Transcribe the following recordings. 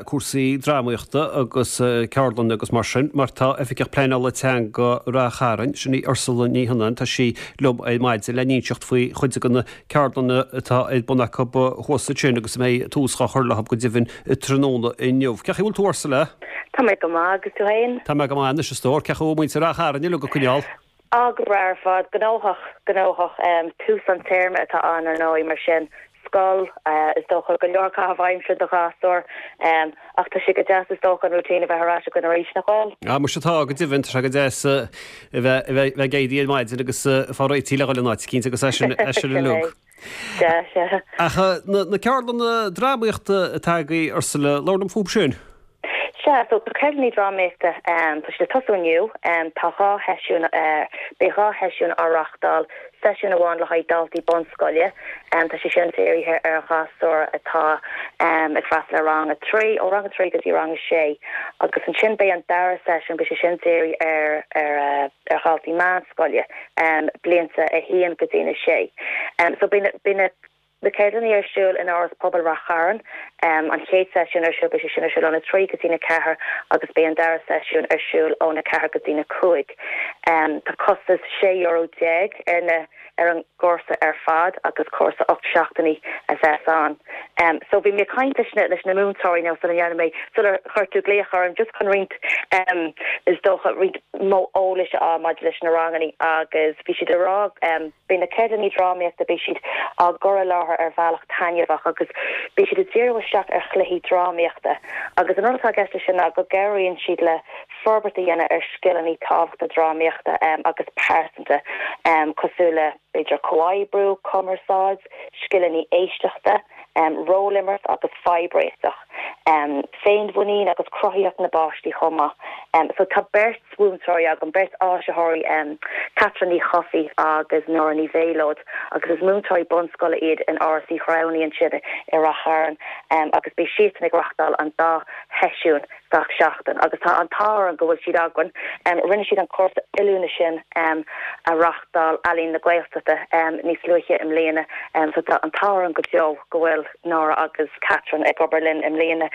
cúrsaí drámaíochta agus ceardlanna agus mar sin, mar tá Oifigeach Pleanála Teanga Ráth Chairn, sin í Ursula Ní Shionnáin, tá sí liom ar maidin le n-inseacht faoi chuid de na ceardlanna atá ar bun acu thuas ansin agus a mbeidh tús dhá chur leo go deimhin tráthnóna inniu. Cén chaoi a bhfuil tú Ursula? Tá mé go maith, agus tú fhéin? Tá mé go maith anois a stór. Cén chaoi a bhfuil muintir Ráth Chairn uilig ag coinneáil? Á, go breá ar fad. Gnóthach, gnóthach. Tús an téarma atá ann, ar ndóigh, mar sin, scoil, is dócha, go leor caitheamh aimsire do ghasúir. Ach tá sé go deas, is dócha, an routine a bheith ar ais againn arís, nach bhfuil? Á, muise tá, go deimhin. Tá sé go deas a bheith, a bheith ag éirí ar maidin agus fá réitigh le dhul in áit eicínt agus é sin, é sin uilig. Sea, sea. Ach na ceardlanna drámaíochta atá agaibh, Ursula, labhair liom fúthu sin. Sea, so tá ceardlanna drámaíochta, tá siad ag tosú inniu, tá 2 sheisiún, beidh 2 sheisiún á reáchtáil, seisiún amháin le haghaidh daltaí bunscoile, tá sé sin dírithe ar ghasúir atá ag freastal ar rang 3, ó rang 3 go dtí rang 6, agus ansin beidh an dara seisiún, beidh sé sin dírithe ar ar ar dhaltaí meánscoile, blianta 1 go dtí na 6. So beidh na, beidh na. Na ceardlanna ar siúl in Áras Pobail Rath Chairn. An chéad seisiún ar siúl, beidh sé sin ar siúl óna 3 go dtína 4 agus beidh an dara seisiún ar siúl óna 4 go dtína 5. Tá costas €16 ar na ar an gcúrsa ar fad agus cúrsa 8 seachtainí a bheas ann. So bhí mé ag caint leis na leis na múinteoirí now sula ndearna mé sular chuir tú glaoch orm just chun roinnt is dócha roinnt mó eolais a fháil maidir leis na ranganna agus bhí siad ag rá Beidh na ceardlanna drámaíochta, beidh siad á gcur i láthair ar bhealach taitneamhach agus beidh siad ag díriú isteach ar chluichí drámaíochta agus an rud atá i gceist leis sin ná go gcabhraíonn siad le forbairt a dhéanamh ar scileanna tábhachtacha drámaíochta agus pearsanta cosúil le, b'fhéidir, comhoibriú, cumarsáid, scileanna éisteachta, rólimirt agus fadhbréiteach, féinmhuinín agus cruthaitheacht na bpáistí chomh maith. So tá beirt mhúinteoirí agam, beirt áisitheoirí, Catherine Ní Chofaigh agus Nóra Ní Mhéalóid agus is múinteoirí bunscoile iad in Áras Uí Ghramhnaigh ansin i Rath Chairn agus beidh siadsan ag reachtáil an dá sheisiún gach seachtain agus tá an t-ádh orainn go bhfuil siad againn. Rinne siad an cúrsa oiliúna sin a reachtáil Ealaín na Gaeltachta níos luaithe i mbliana so tá an t-ádh orainn go deo go bhfuil Nóra agus Catherine ag obair linn i mbliana.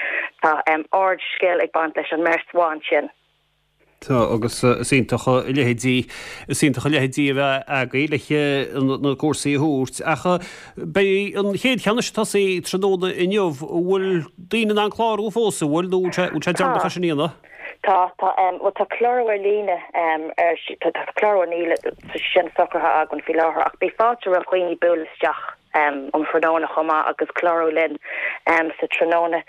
Tá ard-scil ag baint leis an mbeirt bhan sin. Tá, agus is iontach a leithéidí, is iontach a leithéidí a bheith agaibh le na cúrsaí a thabhairt. Ach beidh an chéad cheann ag tosaí tráthnóna inniu, an bhfuil daoine in ann clárú fós, an bhfuil, nó an bhfuil sé deireanach é sin a dhéanamh? Tá, tá, bhuel tá clárú ar líne ar, tá clárú ar líne, tá sé sin socraithe againn faoi láthair ach beidh fáilte roimh dhaoine bualadh isteach. um thráthnóna chomh maith agus clárú linn sa tráthnóna.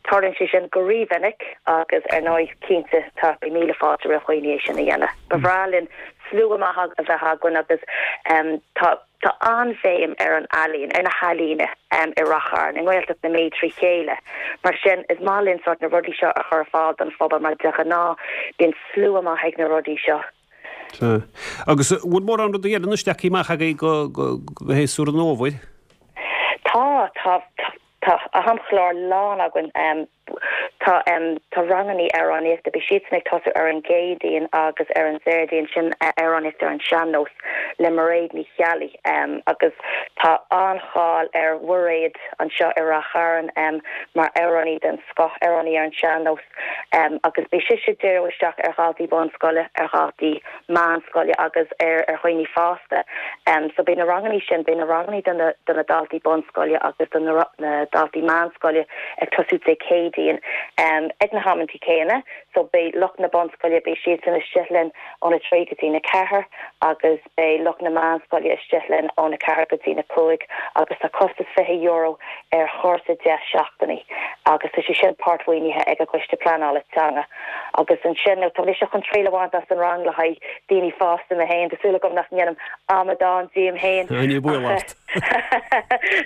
Tarlaíonn sé sin go rímhinic agus ar ndóigh cinnte tá beidh míle fáilte roimh dhaoine é sin a dhéanamh. Ba bhreá linn slua maith a bheith againn agus tá tá an-bhéim ar an ealaín, ar na healaíona i Rath Chairn, i nGaeltacht na Mí trí chéile. Mar sin is maith linn sórt na rudaí seo a chur ar fáil don phobal mar de ghnáth bíonn slua maith ag na rudaí seo. Sea. Agus an bhfuil mórán rudaí eile anois leagtha amach agaibh go, go, go shéasúr an fhómhair? Tá, tá, tá amchlár lán againn. Tá, tá rangannaí amhránaíochta, beidh siadsan ag tosú ar an gCéadaoin agus ar an Déardaoin, sin amhránaíocht ar an sean-nós le Mairéad Ní Cheallaigh agus tá an-cháil ar Mhairéad anseo i Rath Chairn mar amhránaí den scoth, amhránaí ar an sean-nós. Agus beidh sise ag díriú isteach ar dhaltaí bunscoile, ar dhaltaí meánscoile agus ar dhaoine fásta. So beidh na rangannaí sin, beidh na rangannaí do na do na daltaí bunscoile agus do na na daltaí meánscoile ag tosú Dé Céadaoin ag na hamantaí céanna. So beidh lucht na bunscoile, beidh siadsan istigh linn óna 3 go dtí na 4 agus beidh lucht na meánscoile istigh linn óna 4 go dtí na 5 agus tá costas €20 ar chúrsa 10 seachtainí agus tá sé sin páirtmhaoinithe ag an gCoiste Pleanála Teanga. Agus ansin, nó tá mise chun triail a bhaint as an rang le haghaidh daoine fásta mé féin, tá súil agam nach ndéanaim amadán díom féin Ní baol ort.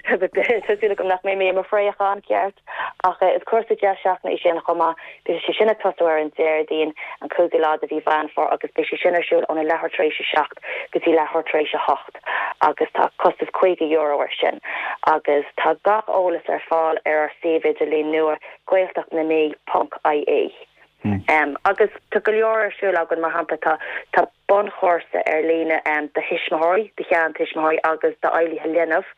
Tá súil agam nach mbeidh mé i mo phréachán ceart. Ach is cúrsa 10 seachtaine é sin chomh maith. Beidh sé sin ag tosú ar an Déardaoin, an cúigiú lá de mhí Mheán Fómhair agus beidh sé sin ar siúl óna leathuair tar éis a 7 go dtí leathuair tar éis a 8 agus tá costas €50 air sin. Agus tá gach eolas ar fáil ar ár suíomh idirlín nua, gaeltachtnamí ponc ie. Agus tá go leor ar siúl againn, mar shampla tá tá. Bunchúrsa ar líne do thuismitheoirí, do sheantuismitheoirí agus d'fheighlithe linbh.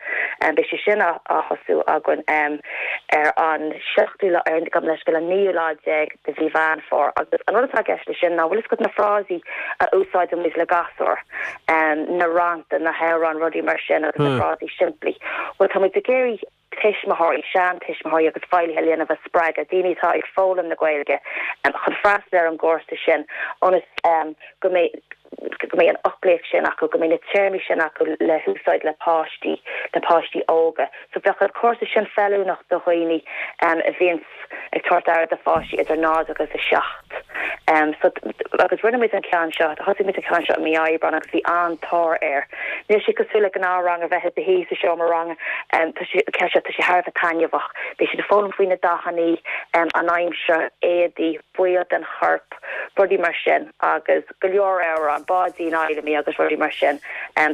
Beidh sé sin á thosú againn ar an seachtú lá, ar, gabh mo leithscéal, an naoú lá déag de mhí Mheán Fómhair. Agus an rud atá i gceist leis sin ná, bhfuil fhios agat na frásaí a úsáideann muid le gasúir, na rannta, na hamhráin, rudaí mar sin agus na frásaí simplí. Bhuel, tá muid ag iarraidh tuismitheoirí, seantuismitheoirí agus feighlithe linbh a spreagadh, daoine atá ag foghlaim na Gaeilge, chun freastal ar an gcúrsa sin ionas go mbeidh go mbeidh an fhoclaíocht sin acu, go mbeidh na téarmaí sin acu le húsáid le páistí, le páistí óga. So bheadh an cúrsa sin feiliúnach do dhaoine a bhíonns ag tabhairt aire do pháistí idir 0 agus 7. So, agus rinne muid an ceann seo, thosaigh muid an ceann seo i mí Aibreán agus bhí an-tóir air. Níl sé cosúil le gnáthrang a bheith i do shuí sa seomra ranga, tá sé, an ceann seo, tá sé thar a bheith taitneamhach. Beidh siad ag foghlaim faoi na dathannaí, an aimsir, éadaí, baill den chorp, rudaí mar sin agus go leor amhrán, Báidín Fheidhlimí agus rudaí mar sin.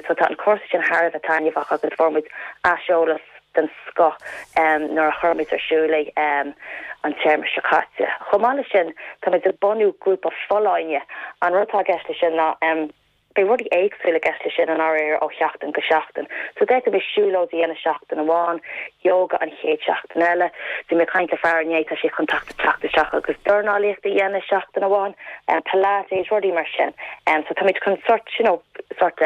So tá an cúrsa sin thar a bheith taitneamhach agus fuair muid aiseolas den scoth nuair a chuir muid ar siúl é an téarma seo caite. Chomh maith leis sin, táimid ag bunú grúpa folláine. An rud atá i gceist leis sin ná beidh rudaí éagsúla i gceist leis sin i ndáiríre ó sheachtain go seachtain. So d'fhéadfaimis siúlóid a dhéanamh seachtain amháin, yoga an chéad seachtain eile. Bhí mé ag caint le fear inné, tá sé chun teacht teacht isteach agus dornálaíocht a dhéanamh seachtain amháin, pilates, rudaí mar sin. So táimid chun sort, you know, sort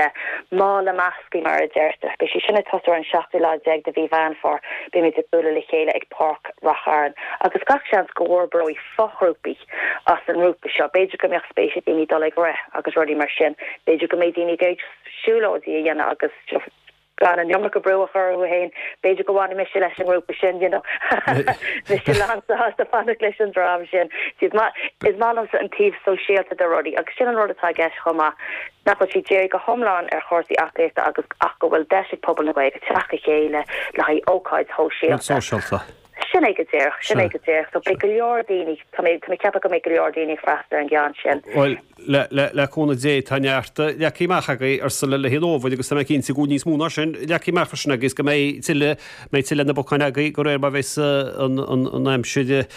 mála measctha mar a deirtear. Beidh sé sin ag tosú ar an seachtú lá déag de mhí Mheán Fómhair. Beimid ag bualadh le chéile ag Páirc Rath Chairn agus gach seans go bhforbróidh foghrúpaí as an ngrúpa seo. B'fhéidir go mbeadh spéis ag daoine dul ag rith agus rudaí mar sin. B'fhéidir go mbeidh daoine ag iarraidh siúlóidí a dhéanamh agus gan an iomarca brú a chur orthu féin. B'fhéidir go bhfanfaidh mise leis an ngrúpa sin, you know. Mise lánsásta fanacht leis an dream sin. Is maith liomsa an taobh sóisialta de rudaí agus sin an rud atá i gceist chomh maith, nach bhfuil sé dírithe go hiomlán ar chúrsaí aclaíochta agus ach go bhfuil deis ag pobal na Gaeilge teacht le chéile le haghaidh ócáid shóisialta. Sin é go díreach, sin é go díreach. So beidh go leor daoine, tá mé, tá mé ag ceapadh go mbeidh go leor daoine ag freastal ar an gceann sin. Bhuel, le, le, le cúnamh Dé, tá neart leagtha amach agaibh Ursula le haghaidh an fhómhair agus tá mé cinnte go bhfuil níos mó ná sin leagtha amach freisin agaibh is go mbeidh tuilleadh, mbeidh tuilleadh ar na bacáin agaibh de réir mar bheas an, an, an aimsir,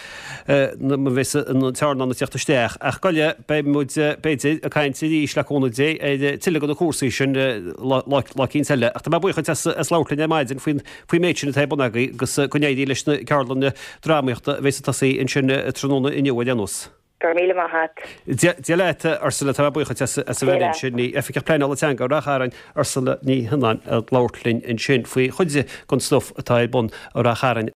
mar bheas an tearnán ag teacht isteach. Ach gabh i leith, beidh muid, b'fhéidir, ag caint arís le cúnamh Dé ar tuilleadh de na cúrsaí sin lá, lá, lá eicínt eile. Ach tá mé buíoch duit as, as labhairt linn ar maidin faoin, faoin méid sin atá ar bun agaibh agus go n-éirí leis na ceardlanna drámaíochta a bheas ag tosaí ansin tráthnóna inniu ar aon nós. Go raibh míle maith a't. Dia leat, Ursula, tá mé buíoch duit as a bheith linn. Sin í Oifigeach Pleanála Teanga Rath Chairn, Ursula Ní Thionáin, ag labhairt linn ansin faoi chuid den stuif atá ar bun i Rath Chairn.